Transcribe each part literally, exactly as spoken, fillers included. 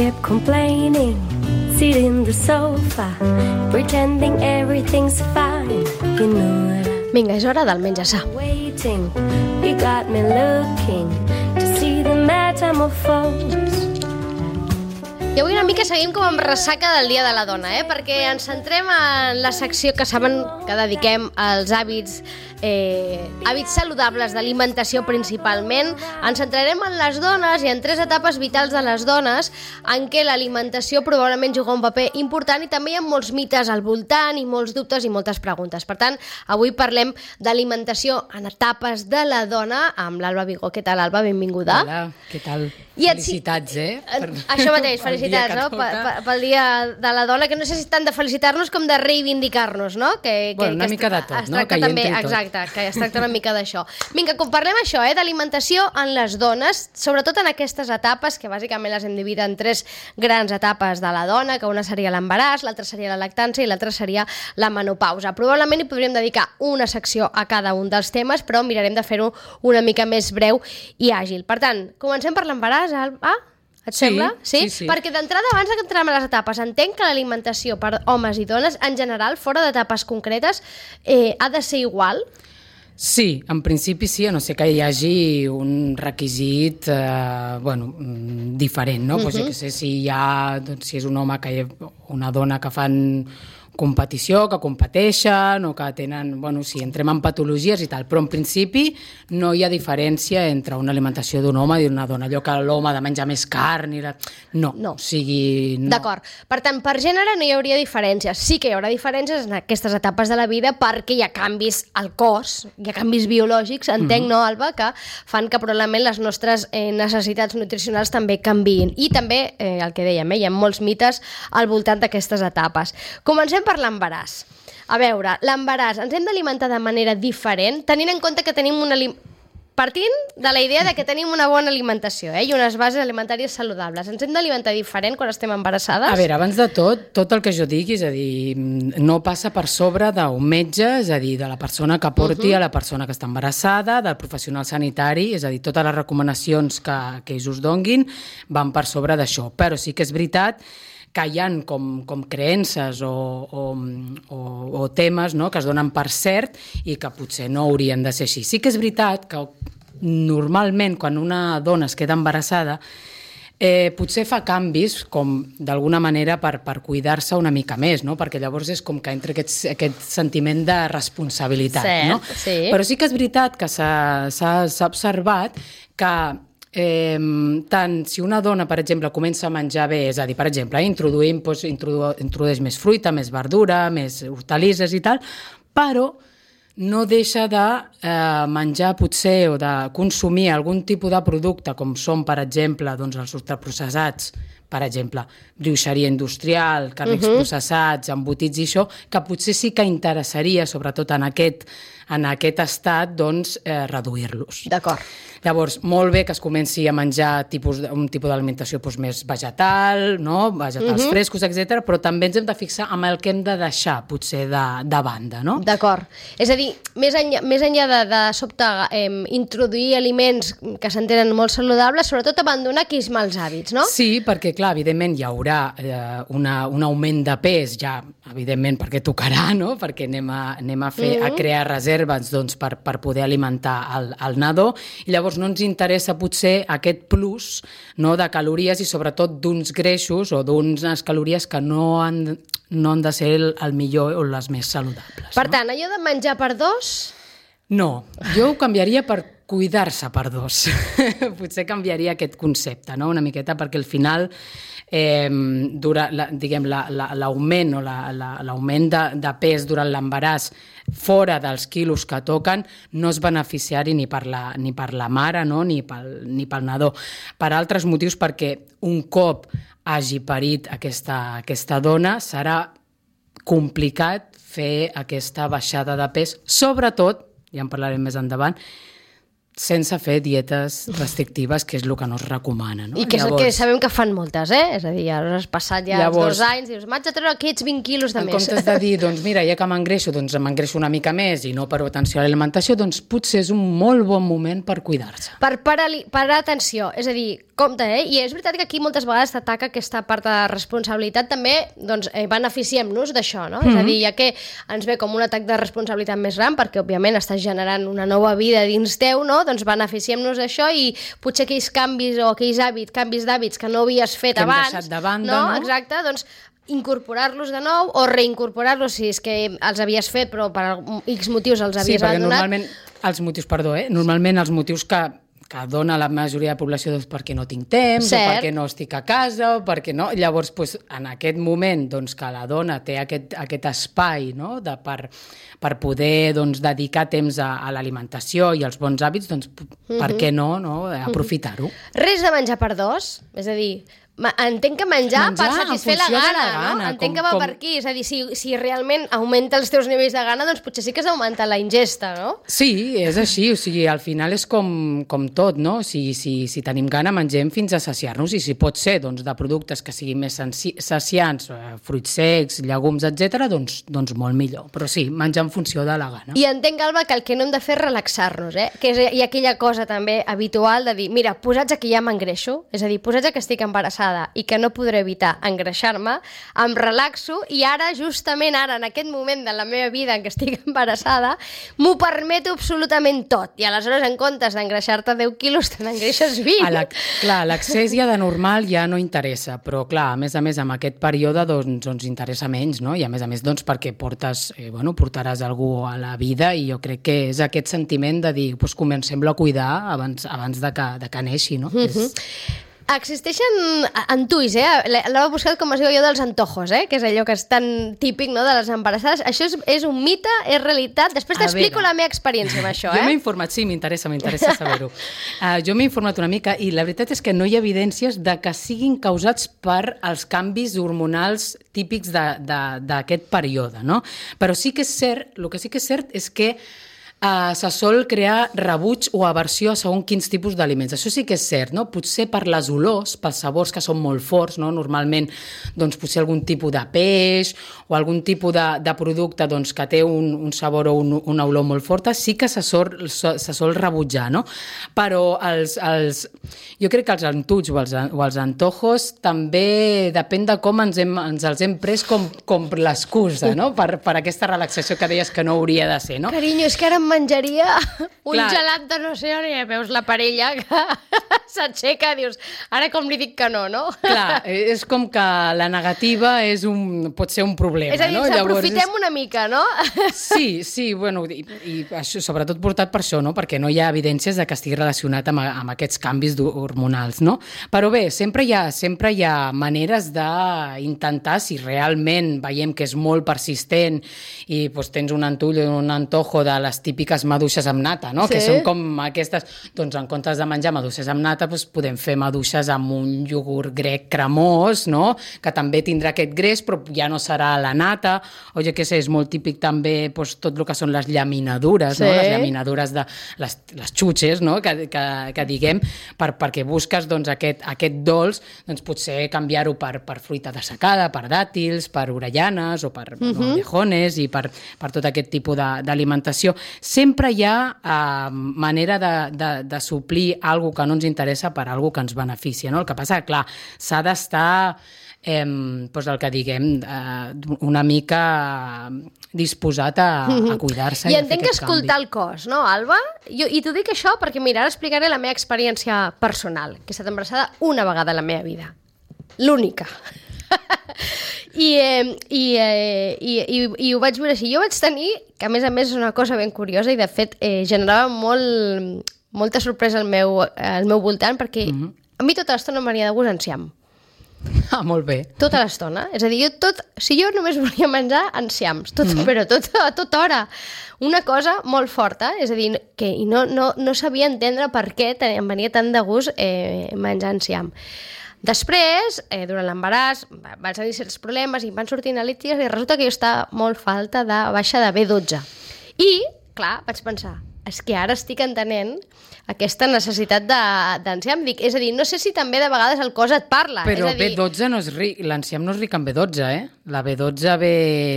kept complaining, sitting in the sofa, pretending everything's fine. You know that I'm Vinga, és hora del menjar-sa. waiting. You got me looking to see the metamorphose. I avui una mica seguim com amb ressaca del Dia de la Dona, eh? Perquè ens centrem en la secció que saben que dediquem als hàbits eh, hàbits saludables d'alimentació principalment. Ens centrarem en les dones i en tres etapes vitals de les dones en què l'alimentació probablement juga un paper important i també hi ha molts mites al voltant i molts dubtes i moltes preguntes. Per tant, avui parlem d'alimentació en etapes de la dona amb l'Alba Vigó. Què tal, Alba? Benvinguda. Hola, què tal? I et- Felicitats, eh? Per- Això mateix, pel dia felicitats, que no? toca. Pe- pe- Pel Dia de la Dona, que no sé si tant de felicitar-nos com de reivindicar-nos, no? Que, Bueno, una que mica de es- tot, es no? tracta Que hi també, entri tot. exacte, que es tracta una mica d'això. Vinga, com parlem això, eh, d'alimentació en les dones, sobretot en aquestes etapes, que bàsicament les hem dividit en tres grans etapes de la dona, que una seria l'embaràs, l'altra seria la lactància i l'altra seria la menopausa. Probablement hi podríem dedicar una secció a cada un dels temes, però mirarem de fer-ho una mica més breu i àgil. Per tant, comencem per l'embaràs, Alba? Et Sí, sembla? sí, sí. Perquè d'entrada, abans que entrem a les etapes, entenc que l'alimentació per homes i dones, en general, fora d'etapes concretes, eh, ha de ser igual? Sí, en principi sí, a no ser que hi hagi un requisit eh, bueno, mm, diferent, no? Uh -huh. Pues jo que sé, si hi ha, doncs, si és un home que hi ha una dona que fan competició, que competeixen o que tenen, bueno, si entrem en patologies i tal, però en principi no hi ha diferència entre una alimentació d'un home i d'una dona, allò que l'home ha de menjar més carn i la... no, No. o sigui... No. D'acord. Per tant, per gènere no hi hauria diferències. Sí que hi haurà diferències en aquestes etapes de la vida perquè hi ha canvis al cos, hi ha canvis biològics, entenc, mm -hmm. no, Alba, que fan que probablement les nostres eh, necessitats nutricionals també canviïn. I també, eh, el que dèiem, eh, hi ha molts mites al voltant d'aquestes etapes. Comencem per l'embaràs. A veure, l'embaràs, ens hem d'alimentar de manera diferent, tenint en compte que tenim una... alim- Partint de la idea de que tenim una bona alimentació, eh, i unes bases alimentàries saludables. Ens hem d'alimentar diferent quan estem embarassades? A veure, abans de tot, tot el que jo digui, és a dir, no passa per sobre d'un metge, és a dir, de la persona que porti uh -huh. a la persona que està embarassada, del professional sanitari, és a dir, totes les recomanacions que, que ells us donguin van per sobre d'això. Però sí que és veritat que hi ha com, com creences o, o, o, o temes, no?, que es donen per cert i que potser no haurien de ser així. Sí que és veritat que normalment quan una dona es queda embarassada eh, potser fa canvis com d'alguna manera per, per cuidar-se una mica més, no? Perquè llavors és com que entra aquest, aquest sentiment de responsabilitat. Cert, no? sí. Però sí que és veritat que s'ha observat que Eh, tant si una dona, per exemple, comença a menjar bé, és a dir, per exemple, introduïm, doncs, introdu introdueix més fruita, més verdura, més hortalisses i tal, però no deixa de eh, menjar potser o de consumir algun tipus de producte com són, per exemple, doncs, els ultraprocessats, per exemple, brioixeria industrial, carnets uh-huh. processats, embotits i això, que potser sí que interessaria, sobretot en aquest, en aquest estat, doncs, eh, reduir-los. D'acord. Llavors, molt bé que es comenci a menjar tipus, un tipus d'alimentació doncs, més vegetal, no? Vegetals uh-huh. frescos, etcètera, però també ens hem de fixar amb el que hem de deixar, potser, de, de banda, no? D'acord. És a dir, més enllà, més enllà de, de sobte eh, introduir aliments que s'entenen molt saludables, sobretot abandonar aquells mals hàbits, no? Sí, perquè, clar, evidentment hi haurà eh, una, un augment de pes, ja, evidentment, perquè tocarà, no? Perquè anem a, anem a, fer, uh-huh. a crear reserves doncs, per, per poder alimentar el, el nadó, i llavors no ens interessa potser aquest plus, no, de calories i sobretot d'uns greixos o d'unes calories que no han, no han de ser el, el millor o les més saludables. Per no? tant, allò de menjar per dos... No, jo ho canviaria per cuidar-se per dos. Potser canviaria aquest concepte, no? Una miqueta, perquè al final eh, dura, la, diguem, l'augment o la, la, l'augment de, de pes durant l'embaràs fora dels quilos que toquen no és beneficiari ni per la, ni per la mare, no? ni, pel, ni pel nadó. Per altres motius, perquè un cop hagi parit aquesta, aquesta dona serà complicat fer aquesta baixada de pes, sobretot, ja en parlarem més endavant, sense fer dietes restrictives, que és el que no es recomana. No? I que és llavors, el que sabem que fan moltes, eh? És a dir, ara has passat ja llavors, els dos anys i dius, m'haig de treure aquests vint quilos de en més. En comptes de dir, doncs mira, ja que m'engreixo, doncs m'engreixo una mica més i no per atenció a l'alimentació, doncs potser és un molt bon moment per cuidar-se. Per parar, parar atenció, és a dir, compte, eh? I és veritat que aquí moltes vegades t'ataca aquesta part de responsabilitat, també doncs, eh, beneficiem-nos d'això, no? Mm-hmm. És a dir, ja que ens ve com un atac de responsabilitat més gran, perquè òbviament estàs generant una nova vida dins teu, no? Doncs beneficiem-nos d'això i potser aquells canvis o aquells hàbits, canvis d'hàbits que no havies fet que abans, hem deixat de banda, no? no? Exacte, doncs incorporar-los de nou o reincorporar-los si és que els havies fet però per X motius els havies sí, abandonat. Normalment, els motius, perdó, eh? Normalment els motius que que dona la majoria de població doncs, perquè no tinc temps, Cert. o perquè no estic a casa, o perquè no... Llavors, doncs, en aquest moment doncs, que la dona té aquest, aquest espai, no? de, per, per poder doncs, dedicar temps a, a l'alimentació i als bons hàbits, doncs, mm-hmm. per què no, no? aprofitar-ho? Res de menjar per dos, és a dir... Entenc que menjar, menjar per satisfer la gana, la gana, no? Entenc com, que va com... per aquí, és a dir, si, si realment augmenta els teus nivells de gana, doncs potser sí que has d'augmentar la ingesta, no? Sí, és així, o sigui, al final és com, com tot, no? Si, si, si tenim gana, mengem fins a saciar-nos, i si pot ser doncs, de productes que siguin més saciants, fruits secs, llegums, etcètera, doncs, doncs molt millor. Però sí, menjar en funció de la gana. I entenc, Alba, que el que no hem de fer és relaxar-nos, eh? Que és, hi ha aquella cosa també habitual de dir, mira, posats que ja m'engreixo, és a dir, posats que estic embarassada i que no podré evitar engreixar-me, em relaxo i ara, justament ara, en aquest moment de la meva vida en què estic embarassada, m'ho permeto absolutament tot. I aleshores, en comptes d'engreixar-te deu quilos, te n'engreixes vint. La, clar, l'accés ja de normal ja no interessa, però clar, a més a més, en aquest període doncs, doncs interessa menys, no? I a més a més, doncs, perquè portes, eh, bueno, portaràs algú a la vida i jo crec que és aquest sentiment de dir, doncs comencem-lo a cuidar abans, abans de, que, de que neixi, no? Mm-hmm. és... Existeixen antuis, eh? L'he buscat com es diu jo dels antojos, eh? Que és allò que és tan típic, no?, de les embarassades. Això és, és un mite, és realitat? Després t'explico la meva experiència amb això, eh? Jo m'he informat, sí, m'interessa, m'interessa saber-ho. Uh, jo m'he informat una mica i la veritat és que no hi ha evidències de que siguin causats per els canvis hormonals típics d'aquest període, no? Però sí que és cert, el que sí que és cert és que Uh, se sol crear rebuig o aversió a segons quins tipus d'aliments. Això sí que és cert, no? Potser per les olors, pels sabors que són molt forts, no? Normalment, doncs, potser algun tipus de peix o algun tipus de, de producte doncs, que té un, un sabor o un, una olor molt forta, sí que se sol, se sol rebutjar, no? Però els, els, jo crec que els antuts o els, o els antojos també depèn de com ens, hem, ens els hem pres com, com l'excusa, no? Per, per aquesta relaxació que deies que no hauria de ser, no? Carinyo, és que ara em menjaria un Clar. gelat de no sé on, i veus la parella que s'aixeca, dius, ara com li dic que no, no? Clar, és com que la negativa és un, pot ser un problema, no? És a dir, no? s'aprofitem és... una mica, no? Sí, sí, bueno, i, i això, sobretot portat per això, no? Perquè no hi ha evidències de que estigui relacionat amb, amb aquests canvis hormonals, no? Però bé, sempre hi ha, sempre hi ha maneres d'intentar, si realment veiem que és molt persistent i doncs, tens un antull o un antojo de les típiques maduixes amb nata, no? Sí. Que són com aquestes, doncs en comptes de menjar maduixes amb nata, doncs podem fer maduixes amb un iogurt grec cremós, no? Que també tindrà aquest greix, però ja no serà la nata, o jo què sé, és molt típic també doncs, tot el que són les llaminadures, sí. no? Les llaminadures de les, les xutxes, no? Que, que, que diguem, per, perquè busques doncs, aquest, aquest dolç, doncs potser canviar-ho per, per fruita dessecada, per dàtils, per orellanes o per mm-hmm. no, alvejones i per, per tot aquest tipus d'alimentació. Sempre hi ha uh, manera de, de, de suplir alguna que no ens interessa per alguna que ens beneficia, no? El que passa, clar, s'ha d'estar, eh, doncs el que diguem, eh, una mica disposat a, a cuidar-se i, i a fer entenc que escoltar canvi. El cos, no, Alba? Jo, I t'ho dic això perquè, mira, ara explicaré la meva experiència personal, que he estat embarassada una vegada a la meva vida. L'única. I, eh, i, eh, i, i, i ho vaig veure així. Jo vaig tenir, que a més a més és una cosa ben curiosa i de fet eh, generava molt, molta sorpresa al meu, al meu voltant perquè mm-hmm. a mi tota l'estona m'havia de gust enciam. Ah, molt bé. Tota l'estona. És a dir, jo tot, si jo només volia menjar enciams, tot, mm-hmm. però tot, a tota hora. Una cosa molt forta, és a dir, que i no, no, no sabia entendre per què em venia tant de gust eh, menjar enciam. Després, eh, durant l'embaràs, van tenir certs problemes i van sortir analítiques i resulta que jo estava molt falta de baixa de B dotze. I, clar, vaig pensar, és que ara estic entenent aquesta necessitat d'enciam. És a dir, no sé si també de vegades el cos et parla. Però és a dir... B dotze no és ric, l'enciam no és ric en B dotze, eh? La B dotze ve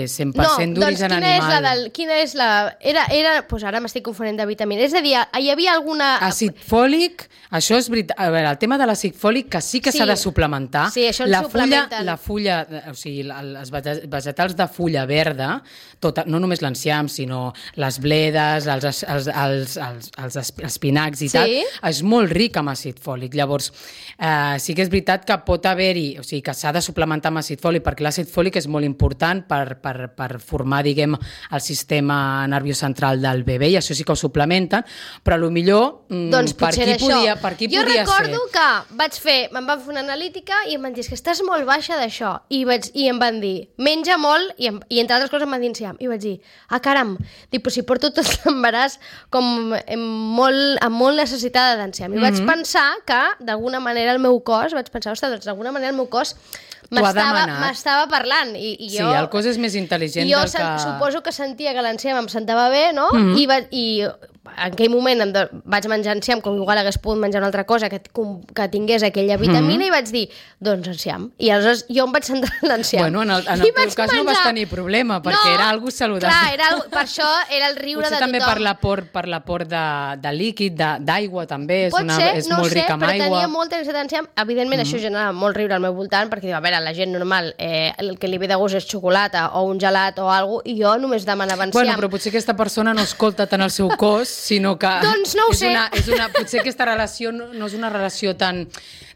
cent per cent no, d'origen doncs, animal. És la del, quina és la... Era, era, doncs ara m'estic confonent de vitamina. És a dir, hi havia alguna... Àcid fòlic, això és veritat. A veure, el tema de l'àcid fòlic, que sí que s'ha Sí. de suplementar. Sí, això ens la fulla, suplementen. la fulla, o sigui, els vege- vegetals de fulla verda, tota, no només l'enciam, sinó les bledes, els, els, els, els, els esp- espinacs i Sí. tal, és molt ric amb àcid fòlic. Llavors, eh, sí que és veritat que pot haver-hi, o sigui, que s'ha de suplementar amb àcid fòlic, perquè l'àcid fòlic és molt important per, per, per formar, diguem, el sistema nerviós central del bebè, i això sí que ho suplementen, però potser mm, Doncs per potser qui era això. podia, per qui jo podia recordo ser? que vaig fer, me'n van fer una analítica i em van dir, és que estàs molt baixa d'això. I, vaig, I em van dir, menja molt, i, em, i entre altres coses em van dir enciam. I vaig dir, ah, caram, dic, però si porto tot l'embaràs com amb molt, amb molt necessitada d'enciam. I vaig Mhm. pensar que, d'alguna manera, el meu cos, vaig pensar, ostres, doncs d'alguna manera el meu cos T'ho ha m'estava demanat. m'estava parlant. I, i Sí, jo, el cos és més intel·ligent jo del sen, que... suposo que sentia que l'enciam em sentava bé, no? Mhm. I, va, I en aquell moment em de, vaig menjar enciam, com igual hagués pogut menjar una altra cosa que, que tingués aquella vitamina, Mhm. i vaig dir, doncs enciam. I aleshores jo em vaig centrar en l'enciam. Bueno, en el, en I el teu vaig cas no vas menjar- tenir problema, perquè No, era algo saludable. Clar, era algo, per això era el riure Potser de també tothom. per l'aport per l'aport de, de líquid, de- d'aigua també, és, Pot una, ser, és no molt sé, ric amb però aigua. tenia molta necessitat d'enciam. Evidentment, mm. això genera molt riure al meu voltant, perquè diu, a veure, la gent normal, eh, el que li ve de gust és xocolata o un gelat o alguna cosa, i jo només demanava enciam. Bueno, però potser aquesta persona no escolta tant el seu cos, sinó que... Doncs no ho és sé. Una, és una, potser aquesta relació no, no és una relació tan,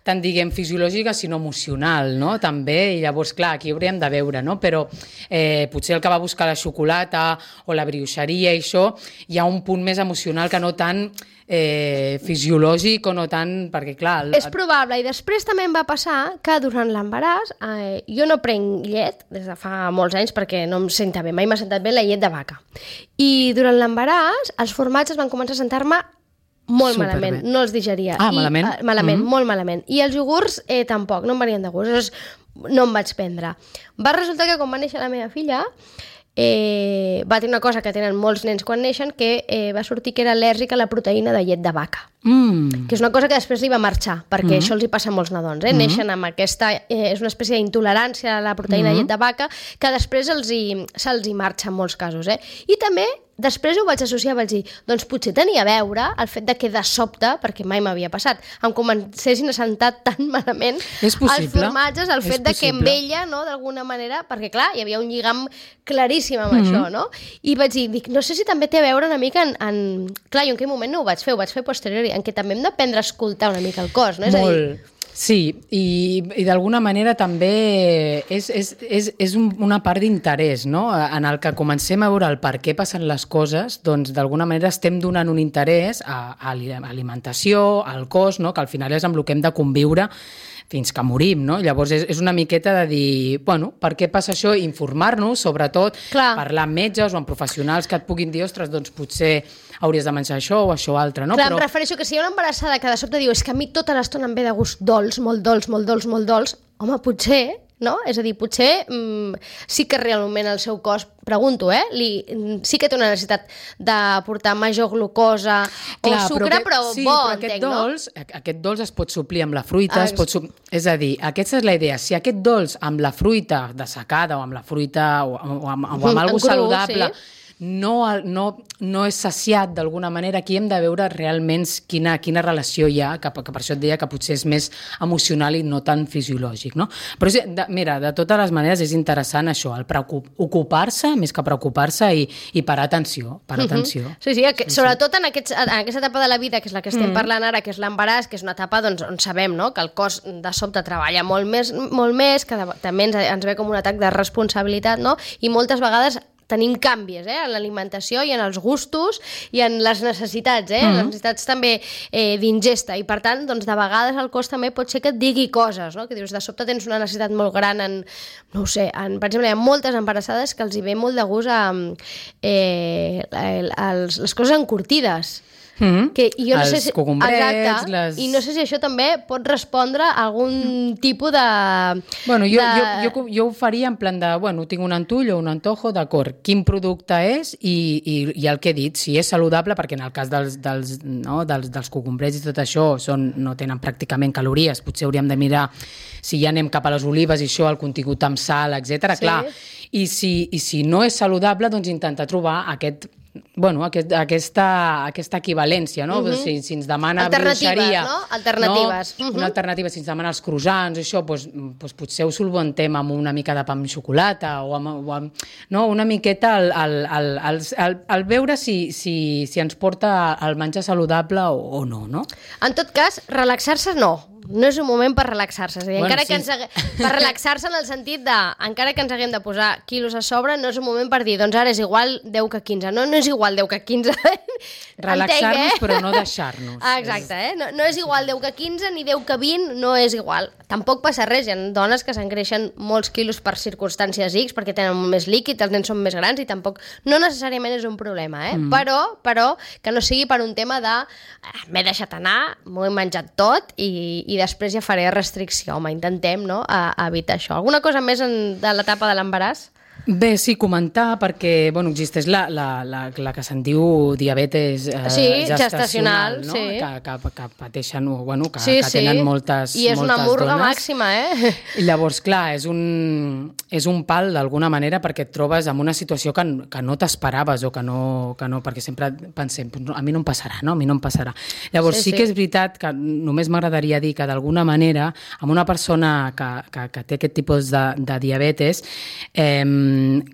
tan, diguem, fisiològica, sinó emocional, no?, també, i llavors, clar, aquí hauríem de veure, no?, però eh, potser el que va buscar la xocolata o la brioixeria i això, hi ha un punt més emocional que no tant eh, fisiològic o no tant... perquè, clar... El, És probable, i després també em va passar que durant l'embaràs, eh, jo no prenc llet des de fa molts anys perquè no em senta bé, mai m'ha sentat bé la llet de vaca. I durant l'embaràs els formatges van començar a sentar-me molt Superbé. malament, no els digeria. Ah, I, malament? eh, malament, Mhm. molt malament. I els iogurts eh, tampoc, no em venien de gust, llavors no em vaig prendre. Va resultar que quan va néixer la meva filla, eh, va tenir una cosa que tenen molts nens quan neixen, que eh, va sortir que era al·lèrgica a la proteïna de llet de vaca. Mm. Que és una cosa que després li va marxar, perquè Mm-hmm. això els hi passa a molts nadons, eh? Neixen amb aquesta... Eh, és una espècie d'intolerància a la proteïna de llet de vaca que després els hi, se'ls hi marxa en molts casos, eh? I també després ho vaig associar, vaig dir, doncs potser tenia a veure el fet de que de sobte, perquè mai m'havia passat, em comencessin a sentar tan malament És possible. els formatges, el És fet de que amb possible. ella, no, d'alguna manera, perquè clar, hi havia un lligam claríssim amb Mm-hmm. això, no? I vaig dir, dic, no sé si també té a veure una mica en... en... Clar, jo en aquell moment no ho vaig fer, ho vaig fer posteriori, en què també hem d'aprendre a escoltar una mica el cos, no? És a dir, Molt. Sí, i, i d'alguna manera també és, és, és, és un, una part d'interès, no? En el que comencem a veure el per què passen les coses, doncs d'alguna manera estem donant un interès a, a l'alimentació, al cos, no? Que al final és amb el que hem de conviure fins que morim, no? Llavors és, és una miqueta de dir, bueno, per què passa això? Informar-nos, sobretot, Clar. parlar amb metges o amb professionals que et puguin dir, ostres, doncs potser hauries de menjar això o això altre, no? clar, em refereixo que si hi ha una embarassada que de sobte diu és que a mi tota l'estona em ve de gust dolç, molt dolç, molt dolç, molt dolç, home, potser, no? És a dir, potser mm, sí que realment el seu cos, pregunto, eh? Li, sí que té una necessitat d'aportar major glucosa o Clar, sucre, aquest- però, sí, bo, però aquest entenc, dolç, no? Aquest dolç es pot suplir amb la fruita, Ah, es pot sup... és a dir, aquesta és la idea. Si aquest dolç amb la fruita dessecada o amb la fruita o, o amb, o amb Mhm, algo en cru, saludable sí. no, no, no és saciat d'alguna manera, aquí hem de veure realment quina, quina relació hi ha, que, que per això et deia que potser és més emocional i no tan fisiològic, no? Però sí, de, mira, de totes les maneres és interessant això, el preocup, ocupar-se més que preocupar-se i, i parar atenció, parar Mhm. atenció. Sí, sí, que, sobretot en, aquests, en aquesta etapa de la vida, que és la que estem mm. parlant ara, que és l'embaràs, que és una etapa doncs, on sabem, no?, que el cos de sobte treballa molt més, molt més que de, també ens, ens ve com un atac de responsabilitat, no?, i moltes vegades tenim canvis, eh, en l'alimentació i en els gustos i en les necessitats, eh, mm. les necessitats també eh, d'ingesta, i per tant, doncs, de vegades el cos també pot ser que et digui coses, no?, que dius, de sobte tens una necessitat molt gran en, no ho sé, en, per exemple, hi ha moltes embarassades que els hi ve molt de gust a, eh, els, les coses encurtides. Mm-hmm. que jo no els sé si, cogombrets, exacte, les... i no sé si això també pot respondre a algun tipus de... Bueno, jo, de... jo, jo, jo ho faria en plan de, bueno, tinc un antull o un antojo, d'acord, quin producte és i, i, i el que he dit, si és saludable, perquè en el cas dels, dels, no, dels, dels cogombrets i tot això són, no tenen pràcticament calories, potser hauríem de mirar si ja anem cap a les olives i això, el contingut amb sal, etcètera. Sí. Clar, i si, i si no és saludable, doncs intentar trobar aquest bueno, aquest, aquesta, aquesta equivalència, no? Uh-huh. Si, si ens demana bruixeria... no? Alternatives. No? Uh-huh. Una alternativa, si ens demana els croissants, això, doncs, doncs potser ho solventem amb una mica de pa amb xocolata o amb, o amb no? Una miqueta al, al, al, al, al, al veure si, si, si ens porta al menjar saludable o, o no, no? En tot cas, relaxar-se no. No és un moment per relaxar-se. És a dir, Bueno, encara sí. que ens hague... per relaxar-se en el sentit de, encara que ens haguem de posar quilos a sobre, no és un moment per dir, doncs ara és igual deu que quinze. No, no és igual deu que quinze. Relaxar-nos, Entenc, eh? però no deixar-nos. Ah, exacte, eh? No, no és igual deu que quinze ni deu que vint, no és igual. Tampoc passa res, hi ha dones que s'engreixen molts quilos per circumstàncies X, perquè tenen més líquid, els nens són més grans i tampoc, no necessàriament és un problema, eh? Mm. Però, però que no sigui per un tema de eh, m'he deixat anar, m'ho he menjat tot i, i després ja faré restricció. Home, intentem, no?, a, a evitar això. Alguna cosa més en, de l'etapa de l'embaràs? Bé, sí, comentar, perquè bueno, existeix la, la, la, la que se'n diu diabetes eh, Sí, gestacional, gestacional, no? sí. que, que, que pateixen, o, bueno, que, Sí, que tenen sí. moltes, I és moltes una murga dones. màxima, eh? I llavors, clar, és un, és un pal d'alguna manera perquè et trobes en una situació que, que no t'esperaves o que no, que no, perquè sempre pensem, a mi no em passarà, no? A mi no em passarà. Llavors sí, Sí, sí sí. que és veritat que només m'agradaria dir que d'alguna manera amb una persona que, que, que té aquest tipus de, de diabetes eh,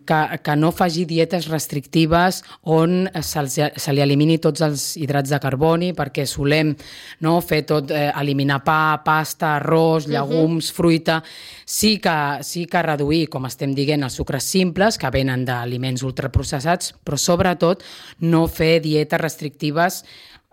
que, que no faci dietes restrictives on se, se li elimini tots els hidrats de carboni, perquè solem no, fer tot, eh, eliminar pa, pasta, arròs, llegums, uh-huh. fruita. Sí que, sí que reduir, com estem dient, els sucres simples, que venen d'aliments ultraprocessats, però sobretot no fer dietes restrictives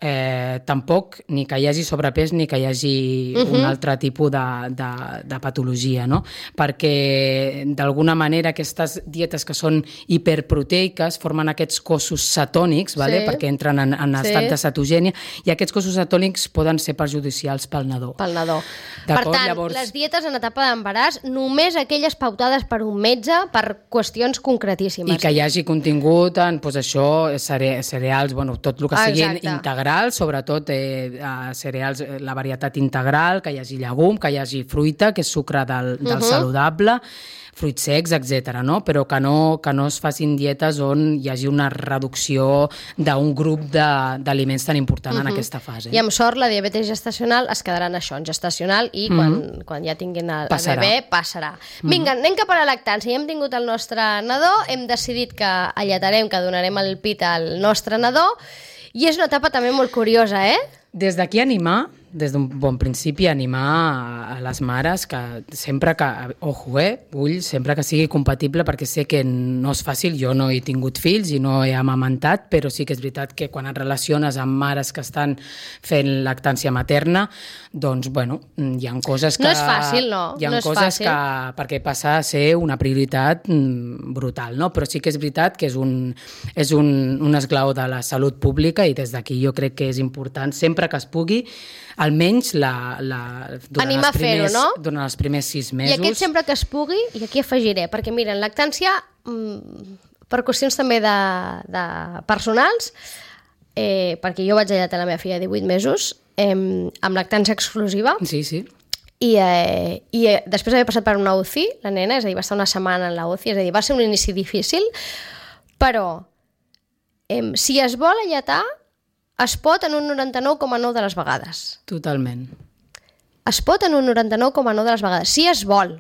Eh, tampoc ni que hi hagi sobrepès ni que hi hagi uh-huh. un altre tipus de, de, de patologia, no? Perquè d'alguna manera aquestes dietes que són hiperproteiques formen aquests cossos cetònics, vale? Sí. Perquè entren en, en Sí. estat de cetogènia, i aquests cossos cetònics poden ser perjudicials pel nadó. Pel nadó. Per D'acord, tant, llavors- les dietes en etapa d'embaràs, només aquelles pautades per un metge per qüestions concretíssimes. I que hi hagi contingut en doncs, això, cere cereals, bueno, tot el que siguin Exacte. integral, sobretot eh, cereals, eh, la varietat integral, que hi hagi llegum, que hi hagi fruita, que és sucre del, del Uh-huh. saludable, fruits secs, etcètera, no? Però que no, que no es facin dietes on hi hagi una reducció d'un grup d'aliments tan important uh-huh. en aquesta fase. I amb sort la diabetes gestacional es quedarà en això, en gestacional, i quan, mm-hmm. quan ja tinguin el, el Passarà. bebè passarà. Vinga, anem cap a la lactància. Ja hem tingut el nostre nadó, hem decidit que alletarem, que donarem el pit al nostre nadó, i és una etapa també molt curiosa, eh? Des d'aquí animar, des d'un bon principi, animar a, a les mares que sempre que, ojo, eh, vull sempre que sigui compatible, perquè sé que no és fàcil, jo no he tingut fills i no he amamantat, però sí que és veritat que quan et relaciones amb mares que estan fent lactància materna, doncs, bueno, hi ha coses que... No és fàcil, no, Hi ha no és coses fàcil. que, perquè passa a ser una prioritat mm, brutal, no? Però sí que és veritat que és un, és un, un esglaó de la salut pública, i des d'aquí jo crec que és important, sempre que es pugui, almenys la, la, durant, Animar els a fer-ho, primers, no? durant els primers sis mesos. I aquest sempre que es pugui, i aquí afegiré, perquè mira, en lactància, mmm, per qüestions també de, de personals, eh, perquè jo vaig allatar la meva filla de divuit mesos, eh, amb lactància exclusiva, Sí, sí. i, eh, i eh, després d'haver passat per una U C I, la nena, és a dir, va estar una setmana en la U C I, és a dir, va ser un inici difícil, però eh, si es vol allatar, es pot en un noranta-nou coma nou de les vegades. Totalment. Es pot en un noranta-nou coma nou de les vegades, si es vol.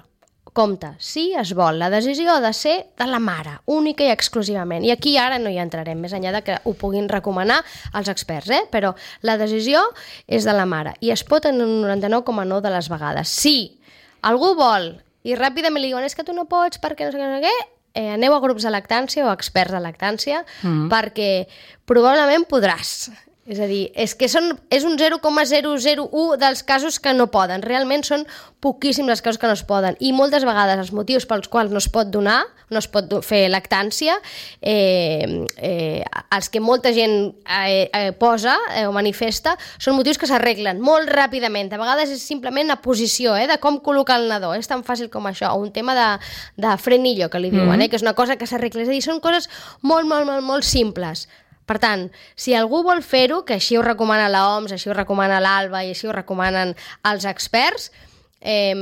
Compte, si es vol. La decisió ha de ser de la mare, única i exclusivament. I aquí ara no hi entrarem, més enllà de que ho puguin recomanar els experts, eh? Però la decisió és de la mare i es pot en un noranta-nou coma nou de les vegades. Si algú vol i ràpidament li diuen és que tu no pots perquè no sé què, no sé què, eh, aneu a grups de lactància o experts de lactància, mm-hmm. perquè probablement podràs. És a dir, és que són, és un zero coma zero zero u dels casos que no poden. Realment són poquíssims els casos que no es poden. I moltes vegades els motius pels quals no es pot donar, no es pot fer lactància, eh, eh, els que molta gent eh, eh, posa eh, o manifesta, són motius que s'arreglen molt ràpidament. A vegades és simplement la posició, eh, de com col·locar el nadó. És tan fàcil com això. O un tema de, de frenillo, que li diuen, mm-hmm. eh, que és una cosa que s'arregla. És a dir, són coses molt, molt, molt, molt simples. Per tant, si algú vol fer-ho, que així ho recomana l'O M S, així ho recomana l'Alba i així ho recomanen els experts, eh,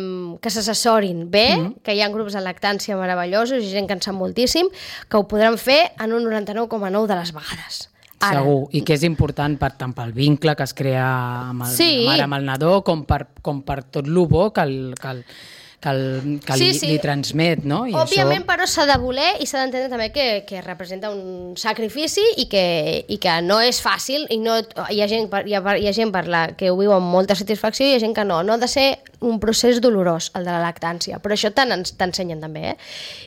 que s'assessorin bé, mm-hmm. que hi ha grups de lactància meravellosos i gent que en sap moltíssim, que ho podran fer en un noranta-nou coma nou de les vegades. Ara. Segur, i que és important per, tant pel vincle que es crea amb el, sí. la mare amb el nadó com per, com per tot el bo que el... Que el que, el, que sí, li, sí. li transmet, no? I òbviament, això... però s'ha de voler i s'ha d'entendre també que, que representa un sacrifici i que, i que no és fàcil i no, hi ha gent, hi ha, hi ha gent per la que ho viu amb molta satisfacció i hi ha gent que no. No ha de ser un procés dolorós, el de la lactància, però això t'ensenyen també, eh?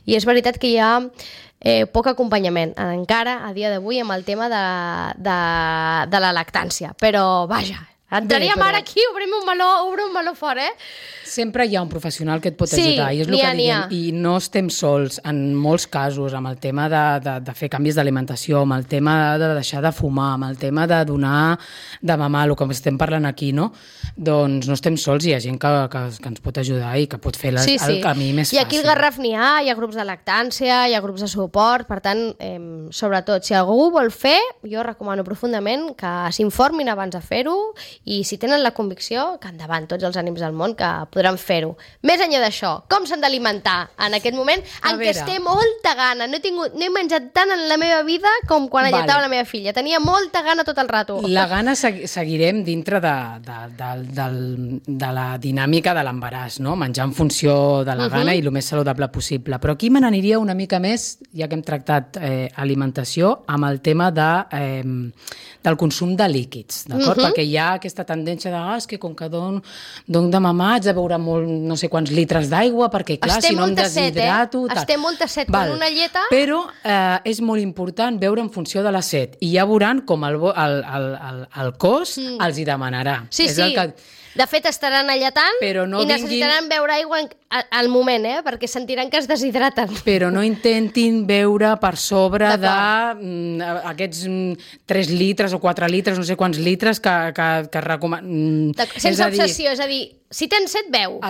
I és veritat que hi ha eh, poc acompanyament encara a dia d'avui amb el tema de, de, de la lactància, però vaja, entraríem Bé, ara aquí, obrim un meló, obrim un meló fort, eh? Sempre hi ha un professional que et pot sí, ajudar, i és el ha, que diguem, i no estem sols en molts casos, amb el tema de, de, de fer canvis d'alimentació, amb el tema de deixar de fumar, amb el tema de donar de mamar, el que estem parlant aquí, no? Doncs no estem sols, hi ha gent que, que, que ens pot ajudar i que pot fer les, sí, sí. el camí més fàcil. I aquí al Garraf n'hi ha, hi ha grups de lactància, hi ha grups de suport, per tant, eh, sobretot, si algú vol fer, jo recomano profundament que s'informin abans de fer-ho i si tenen la convicció, que endavant, tots els ànims del món, que podran fer-ho. Més enllà d'això, com s'han d'alimentar en aquest moment en què es té molta gana? No he, tingut, no he menjat tant en la meva vida com quan vale. alletava la meva filla. Tenia molta gana tot el rato. La gana segui seguirem dintre de, de, de, de, de la dinàmica de l'embaràs, no? Menjar en funció de la gana uh -huh. i el més saludable possible. Però aquí me n'aniria una mica més, ja que hem tractat eh, alimentació, amb el tema de, eh, del consum de líquids, d'acord? Uh -huh. Perquè hi ha aquesta tendència de, ah, és que com que don, don de mamar haig de beure molt, no sé quants litres d'aigua, perquè clar, es si no em deshidrato... Set, eh? Es té molta set Val. con una lleta... Però eh, és molt important beure en funció de la set, i ja veuran com el, el, el, el, el cos mm. els hi demanarà. Sí, és sí. El que... De fet, estaran alletant no i necessitaran vinguin... beure aigua en, al moment, eh? Perquè sentiran que es deshidraten. Però no intentin beure per sobre d'aquests mm, tres litres o quatre litres, no sé quants litres que, que, que recomanen. Sense obsessió, és a dir, si tens set, beu.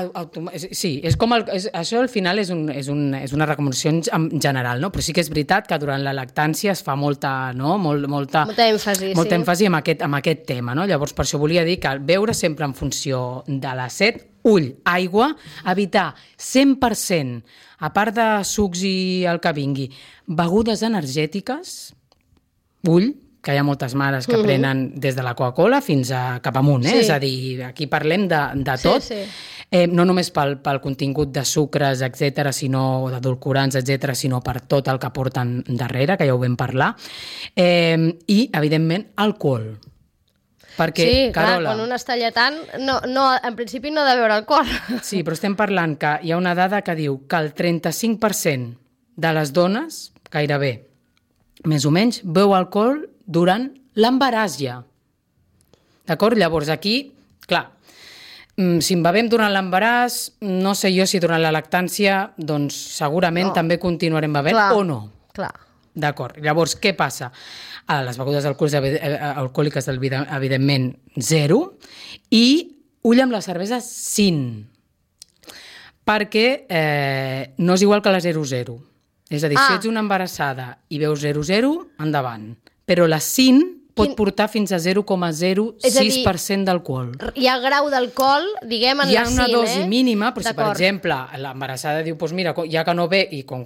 Sí, és com el, és, això al final és, un, és, un, és una recomanació en general, no? Però sí que és veritat que durant la lactància es fa molta, no? Molt, molta, molta èmfasi, molta sí. èmfasi amb, aquest, amb aquest tema, no? Llavors, per això volia dir que beure sempre en funció de la set, ull, aigua, evitar cent per cent, a part de sucs i el que vingui, begudes energètiques, ull, que hi ha moltes mares que uh -huh. prenen des de la Coca-Cola fins a cap amunt, eh? Sí. És a dir, aquí parlem de, de tot, sí, sí. Eh, no només pel, pel contingut de sucres, etcètera, sinó d'edulcorants, etcètera, sinó per tot el que porten darrere, que ja ho vam parlar, eh, i, evidentment, alcohol. Perquè, sí, clar, Carola, quan un està lletant, no, no, en principi no ha de beure alcohol. Sí, però estem parlant que hi ha una dada que diu que el trenta-cinc per cent de les dones, gairebé, més o menys, beu alcohol durant l'embaràs ja. D'acord? Llavors aquí, clar, si en bevem durant l'embaràs, no sé jo si durant la lactància, doncs segurament no. també continuarem bevent clar, o no. Clar. D'acord. Llavors, què passa? A les begudes alcohòliques, evidentment, zero, i ull amb la cervesa sin, perquè eh, no és igual que la zero zero. És a dir, ah. si ets una embarassada i veus zero zero, endavant. Però la sin pot Quin... portar fins a zero coma zero sis per cent d'alcohol. Hi ha grau d'alcohol, diguem, en la sin, eh? Hi ha una dosi eh? mínima, però si, per exemple, l'embarassada diu, doncs mira, ja que no ve, i com,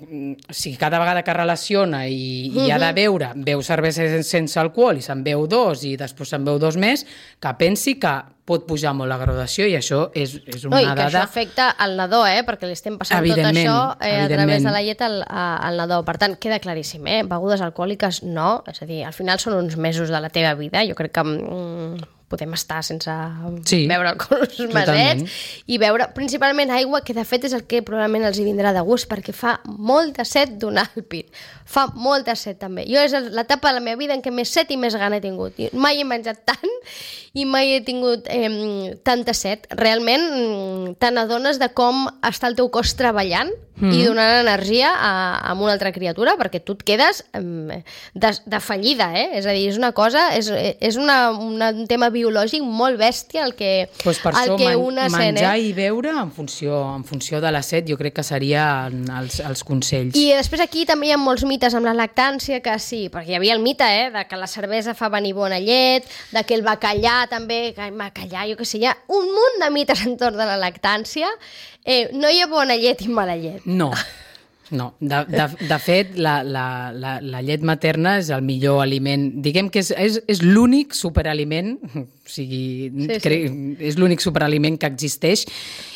si cada vegada que relaciona i, uh-huh. i ha de beure, beu cervesa sense alcohol i se'n beu dos i després se'n beu dos més, que pensi que pot pujar molt la graduació i això és, és una no, i dada... I que això afecta al nadó, eh? Perquè li estem passant tot això eh, a través de la llet al, al nadó. Per tant, queda claríssim, eh? Begudes alcohòliques no, és a dir, al final són uns mesos de la teva vida, jo crec que mm, podem estar sense sí, beure alcohols masets i beure principalment aigua, que de fet és el que probablement els hi vindrà de gust, perquè fa molta set donar el pit. Fa molta set també. Jo és l'etapa de la meva vida en què més set i més gana he tingut. Mai he menjat tant i mai he tingut eh, tanta set. Realment te n'adones de com està el teu cos treballant mm. i donant energia a, a una altra criatura, perquè tu et quedes eh, de, de fallida, eh? És a dir, és una cosa, és, és una, una, un tema biològic molt bèstia el que, pues per el això que man, una menjar sent, eh? i beure en funció, en funció de la set, jo crec que serien els, els consells. I després aquí també hi ha molts mites amb la lactància, que sí, perquè hi havia el mite, eh, de que la cervesa fa venir bona llet, de que el bacallà també, que el bacallà, jo què sé, hi ha un munt de mites entorn de la lactància. Eh, no hi ha bona llet i mala llet. No. No, de, de, de fet, la, la, la, la llet materna és el millor aliment. Diguem que és, és, és l'únic superaliment, o sigui, sí, sí. Crec, és l'únic superaliment que existeix,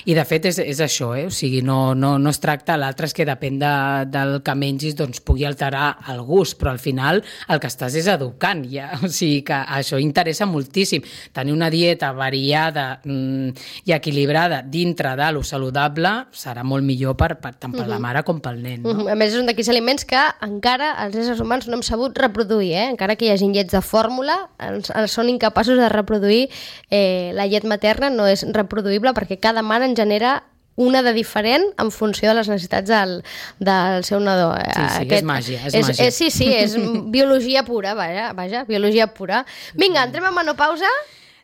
i de fet és, és això, eh? O sigui, no, no, no es tracta, l'altre és que depèn de, del que mengis, doncs pugui alterar el gust, però al final el que estàs és educant, ja. O sigui que això interessa moltíssim. Tenir una dieta variada mm, i equilibrada dintre de lo saludable serà molt millor per, per, tant per uh-huh. la mare com pel nen, no? A més, és un d'aquells aliments que encara els éssers humans no hem sabut reproduir, eh? Encara que hi hagi llets de fórmula, els, els són incapaços de reproduir eh, la llet materna, no és reproduïble perquè cada mare en genera una de diferent en funció de les necessitats del, del seu nadó. Sí, sí, Aquest, és màgia, és, és màgia. És, sí, sí, és biologia pura, vaja, vaja, biologia pura. Vinga, entrem a menopausa?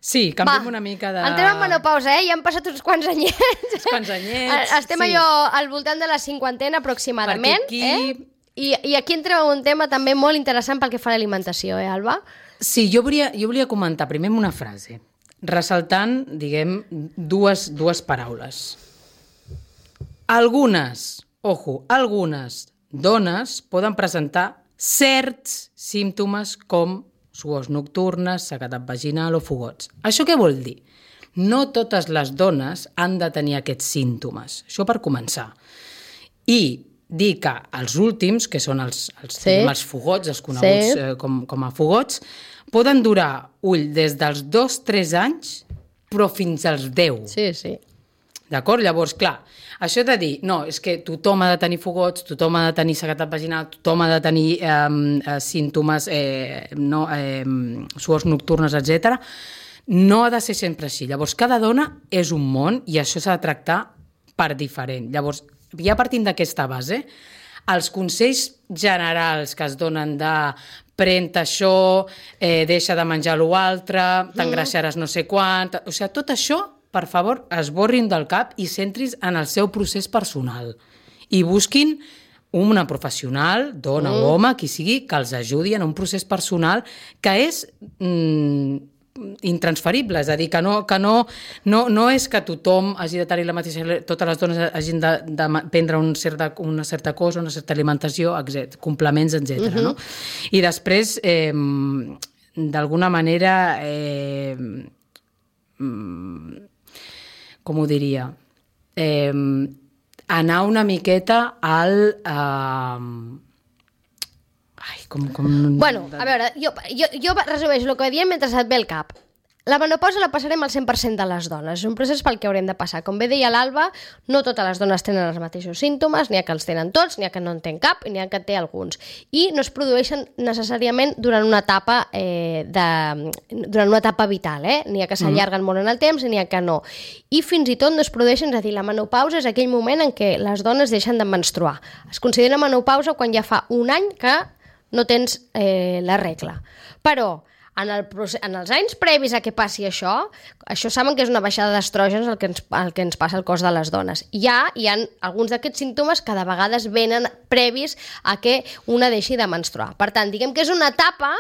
Sí, canviem Va, una mica de... entrem en menopausa, eh? Ja han passat uns quants anyets. Uns quants anyets, Estem sí. allò al voltant de la cinquantena aproximadament. Aquí... Eh? I, I aquí entrem en un tema també molt interessant pel que fa a l'alimentació, eh, Alba? Sí, jo volia, jo volia comentar primer amb una frase, ressaltant, diguem, dues, dues paraules. Algunes, ojo, algunes dones poden presentar certs símptomes com suors nocturnes, sequedat vaginal o fogots. Això què vol dir? No totes les dones han de tenir aquests símptomes. Això per començar. I dir que els últims, que són els, els, sí. els fogots, els coneguts sí. eh, com, com a fogots, poden durar, ull, des dels dos tres anys, però fins als deu. Sí, sí. D'acord? Llavors, clar, això de dir, no, és que tothom ha de tenir fogots, tothom ha de tenir sequedat vaginal, tothom ha de tenir eh, símptomes, eh, no, eh, suors nocturnes, etcètera, no ha de ser sempre així. Llavors, cada dona és un món i això s'ha de tractar per diferent. Llavors, ja partint d'aquesta base, els consells generals que es donen de pren això, eh, deixa de menjar l'altre, t'engreixaràs no sé quant... O sigui, tot això, per favor, esborrin del cap i centris en el seu procés personal. I busquin una professional, dona mm. o home, qui sigui, que els ajudi en un procés personal que és mm, intransferible. És a dir, que, no, que no, no, no és que tothom hagi de tenir la mateixa... Totes les dones hagin de, de prendre un certa, una certa cosa, una certa alimentació, etcètera, complements, etcètera. Mm-hmm. No? I després, eh, d'alguna manera... Eh, com ho diria, eh, anar una miqueta al... Eh, ai, com... com... Bueno, a veure, jo, jo, jo resumeixo el que diem mentre et ve el cap. La menopausa la passarem al cent per cent de les dones. És un procés pel que haurem de passar. Com bé deia l'Alba, no totes les dones tenen els mateixos símptomes, n'hi ha que els tenen tots, n'hi ha que no en tenen cap i n'hi ha que té alguns. I no es produeixen necessàriament durant una etapa, eh, de, durant una etapa vital. Eh? N'hi ha que s'allarguen mm. molt en el temps i n'hi ha que no. I fins i tot no es produeixen, és a dir, la menopausa és aquell moment en què les dones deixen de menstruar. Es considera menopausa quan ja fa un any que no tens eh, la regla. Però En, el procés, en els anys previs a que passi això, això saben que és una baixada d'estrògens el, que ens, el que ens passa al cos de les dones. Ja hi ha alguns d'aquests símptomes que de vegades venen previs a que una deixi de menstruar. Per tant, diguem que és una etapa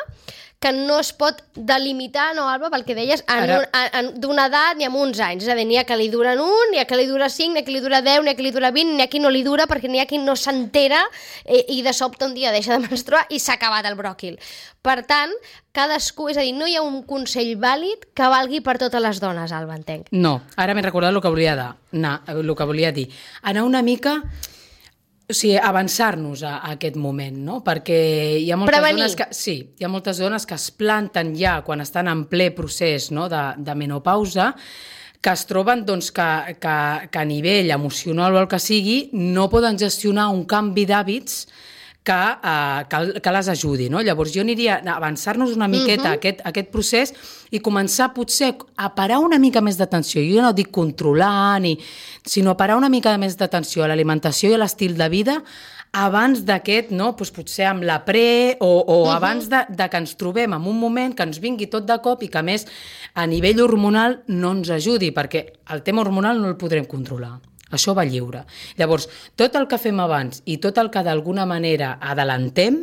que no es pot delimitar, no, Alba, pel que deies, d'una edat ni amb uns anys. És a dir, n'hi ha que li duren un, n'hi ha que li dura cinc, n'hi ha que li dura deu, n'hi ha que li dura vint, n'hi ha qui no li dura perquè n'hi ha qui no s'entera eh, i de sobte un dia deixa de menstruar i s'ha acabat el bròquil. Per tant, cadascú, és a dir, no hi ha un consell vàlid que valgui per totes les dones, Alba, entenc. No, ara m'he recordat el que volia, anar, el que volia dir. Anar una mica O sigui, avançar-nos a, a aquest moment, no? Perquè hi ha moltes Prevenir. dones que... Sí, hi ha moltes dones que es planten ja quan estan en ple procés, no?, de, de menopausa, que es troben doncs, que, que, que a nivell emocional o el que sigui no poden gestionar un canvi d'hàbits que, uh, que, que les ajudi, no? Llavors jo aniria a avançar-nos una miqueta uh-huh. aquest, aquest procés i començar potser a parar una mica més d'atenció. Jo no dic controlar, ni, sinó a parar una mica més d'atenció a l'alimentació i a l'estil de vida abans d'aquest, no? Pues potser amb la pre o, o uh-huh. abans de, de que ens trobem en un moment que ens vingui tot de cop i que a més a nivell hormonal no ens ajudi, perquè el tema hormonal no el podrem controlar. Això va lliure. Llavors, tot el que fem abans i tot el que d'alguna manera adelantem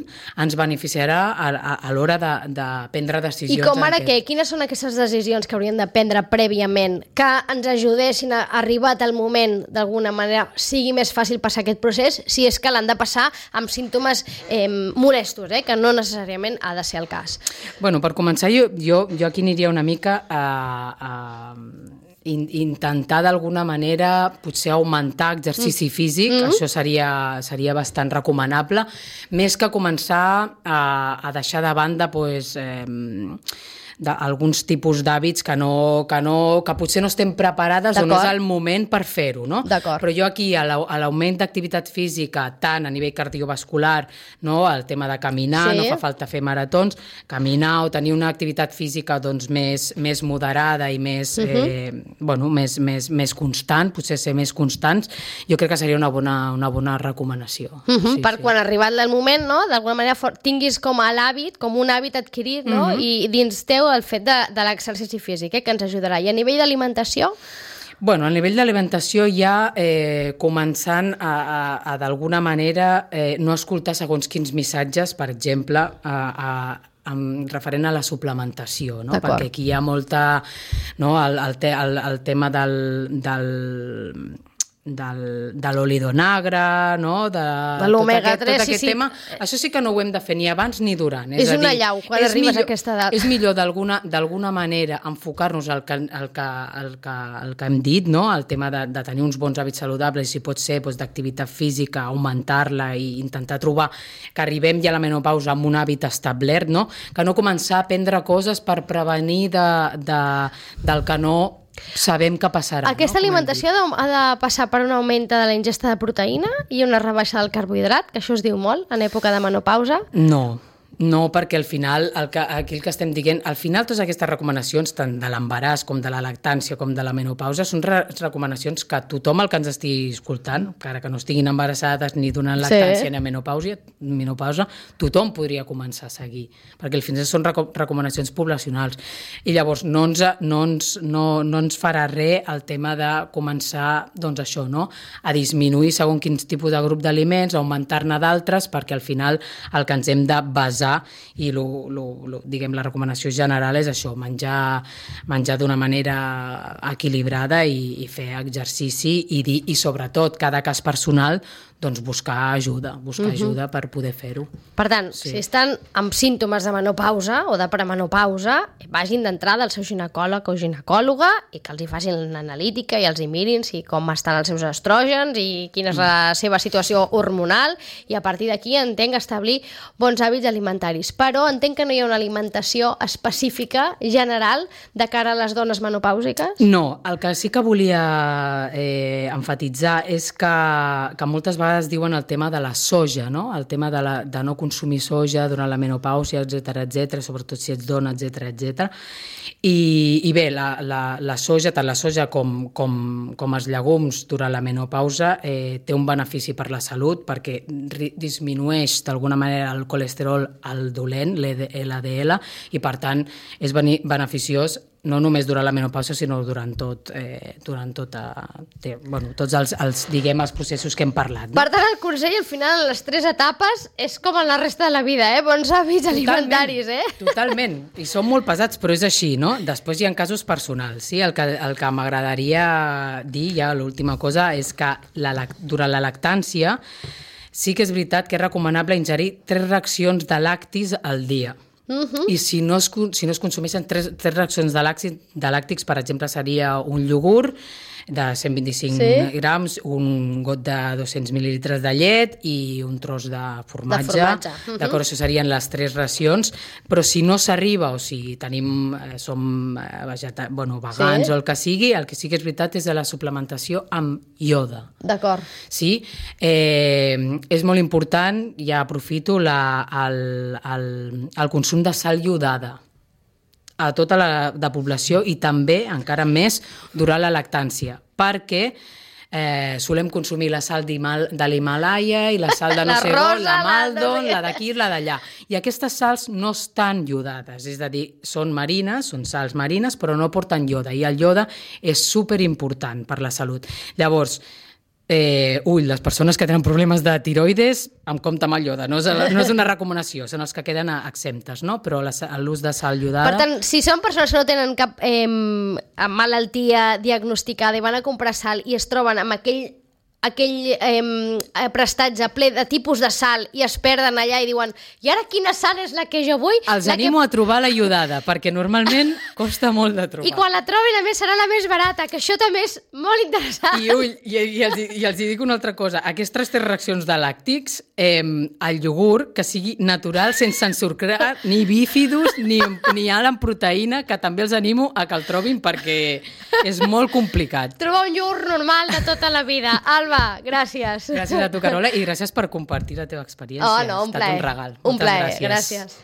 ens beneficiarà a, a, a l'hora de, de prendre decisions. I com ara aquest... què? Quines són aquestes decisions que hauríem de prendre prèviament que ens ajudessin a arribat el moment, d'alguna manera, sigui més fàcil passar aquest procés, si és que l'han de passar amb símptomes eh, molestos, eh, que no necessàriament ha de ser el cas? Bueno, per començar, jo, jo, jo aquí aniria una mica a... a intentar d'alguna manera potser augmentar exercici físic, mm-hmm. això seria, seria bastant recomanable, més que començar a, a deixar de banda pues, eh, alguns tipus d'hàbits que, no, que, no, que potser no estem preparades o no és el moment per fer-ho. No? Però jo aquí, a l'augment d'activitat física, tant a nivell cardiovascular, no? El tema de caminar, sí. no fa falta fer maratons, caminar o tenir una activitat física doncs, més, més moderada i més, uh-huh. eh, bueno, més, més, més constant, potser ser més constants, jo crec que seria una bona, una bona recomanació. Uh-huh. Sí, per sí. quan ha arribat el moment, no? D'alguna manera tinguis com a l'hàbit, com un hàbit adquirit, no? Uh-huh. I dins teu el fet de, de l'exercici físic, eh? Que ens ajudarà. I a nivell d'alimentació? Bueno, a nivell d'alimentació ja eh, començant a, a, a d'alguna manera eh, no escoltar segons quins missatges, per exemple, a, a amb referent a la suplementació, no? Perquè aquí hi ha molta... No? El, el, te, el, el tema del... del del, de l'olidonagre, no? de, de l'omega tres, tot aquest sí, tema. sí. Això sí que no ho hem de fer ni abans ni durant. És, és una dir, llau quan arribes millor, a aquesta edat. És millor d'alguna manera enfocar-nos al que, al que, al que, al que hem dit, no? El tema de, de tenir uns bons hàbits saludables, si pot ser doncs, d'activitat física, augmentar-la i intentar trobar que arribem ja a la menopausa amb un hàbit establert, no? Que no començar a prendre coses per prevenir de, de, del que no sabem que passarà. Aquesta no? alimentació ha de, ha de passar per un augment de la ingesta de proteïna i una rebaixa del carbohidrat, que això es diu molt en època de menopausa? No. No, perquè al final, el que, aquí el que estem dient, al final totes aquestes recomanacions, tant de l'embaràs com de la lactància com de la menopausa, són re recomanacions que tothom el que ens estigui escoltant, encara que no estiguin embarassades ni donant lactància sí. ni menopausa, menopausa, tothom podria començar a seguir, perquè al final són reco recomanacions poblacionals. I llavors no ens, no ens, no, no ens farà res el tema de començar, doncs això, no? A disminuir segons quins tipus de grup d'aliments, augmentar-ne d'altres, perquè al final el que ens hem de basar i lo, lo, lo, diguem, la recomanació general és això, menjar, menjar d'una manera equilibrada i, i fer exercici i, dir, i sobretot cada cas personal doncs buscar ajuda, buscar uh-huh. ajuda per poder fer-ho. Per tant, sí. si estan amb símptomes de menopausa o de premenopausa, vagin d'entrada al seu ginecòleg o ginecòloga i que els hi facin l'analítica i els hi mirin si com estan els seus estrògens i quina és la seva situació hormonal i a partir d'aquí entenc establir bons hàbits alimentaris. Però entenc que no hi ha una alimentació específica, general, de cara a les dones menopàusiques? No, el que sí que volia eh, enfatitzar és que, que moltes vegades es diuen el tema de la soja, no? El tema de, la, de no consumir soja durant la menopàusia, etcètera, etcètera, sobretot si ets dona, etcètera, etcètera. I, i bé, la, la, la soja, tant la soja com, com, com els llegums durant la menopausa eh, té un benefici per la salut perquè disminueix d'alguna manera el colesterol al dolent, l'L D L, i per tant és beneficiós no només durant la menopausa, sinó durant tot, eh, durant tota, té, bueno, tots els, els, diguem, els processos que hem parlat. No? Per tant, el consell, al final, en les tres etapes, és com en la resta de la vida, eh? Bons hàbits alimentaris, eh? Totalment, i són molt pesats, però és així, no? Després hi ha casos personals, sí? El que, el que m'agradaria dir, ja l'última cosa, és que la, durant la lactància sí que és veritat que és recomanable ingerir tres racions de lactis al dia. Uh-huh. I si no es, si no es consumeixen tres, tres racions de làctics, de làctics, per exemple, seria un iogurt, de cent vint-i-cinc Sí? grams, un got de dos-cents mil·lilitres de llet i un tros de formatge. De formatge. Mhm. D'acord, això serien les tres racions, però si no s'arriba o si tenim, eh, som eh, vegeta... bueno, vegans Sí? o el que sigui, el que sí que és veritat és de la suplementació amb ioda. D'acord. Sí? Eh, és molt important, ja aprofito, la, el, el, el consum de sal iodada a tota la de població i també, encara més, durant la lactància, perquè eh, solem consumir la sal d'Himal- de l'Himalaya i la sal de no La sé rosa, on, la la Maldon, no sé la d'aquí, la d'allà. I aquestes sals no estan iodades, és a dir, són marines, són sals marines, però no porten ioda, i el ioda és superimportant per la salut. Llavors, Eh, ull, les persones que tenen problemes de tiroides, amb compte amb el ioda, no és, no és una recomanació, són els que queden exemptes, no? Però la- l'ús de sal iodada... Per tant, si són persones que no tenen cap eh, malaltia diagnosticada i van a comprar sal i es troben amb aquell aquell eh, prestatge ple de tipus de sal i es perden allà i diuen i ara quina sal és la que jo vull? Els la animo que... a trobar la iodada, perquè normalment costa molt de trobar. I quan la trobin, a més, serà la més barata, que això també és molt interessant. I, ull, i, i, els, I els dic una altra cosa. Aquestes tres reaccions de làctics, eh, el iogurt, que sigui natural, sense ensucrar ni bífidus, ni, ni alt en proteïna, que també els animo a que el trobin perquè és molt complicat. Trobar un iogurt normal de tota la vida. Alba, gràcies. Gràcies a tu, Carola, i gràcies per compartir la teva experiència. Oh, no, un ha estat plaer. un regal. Un Moltes plaer, gràcies. gràcies.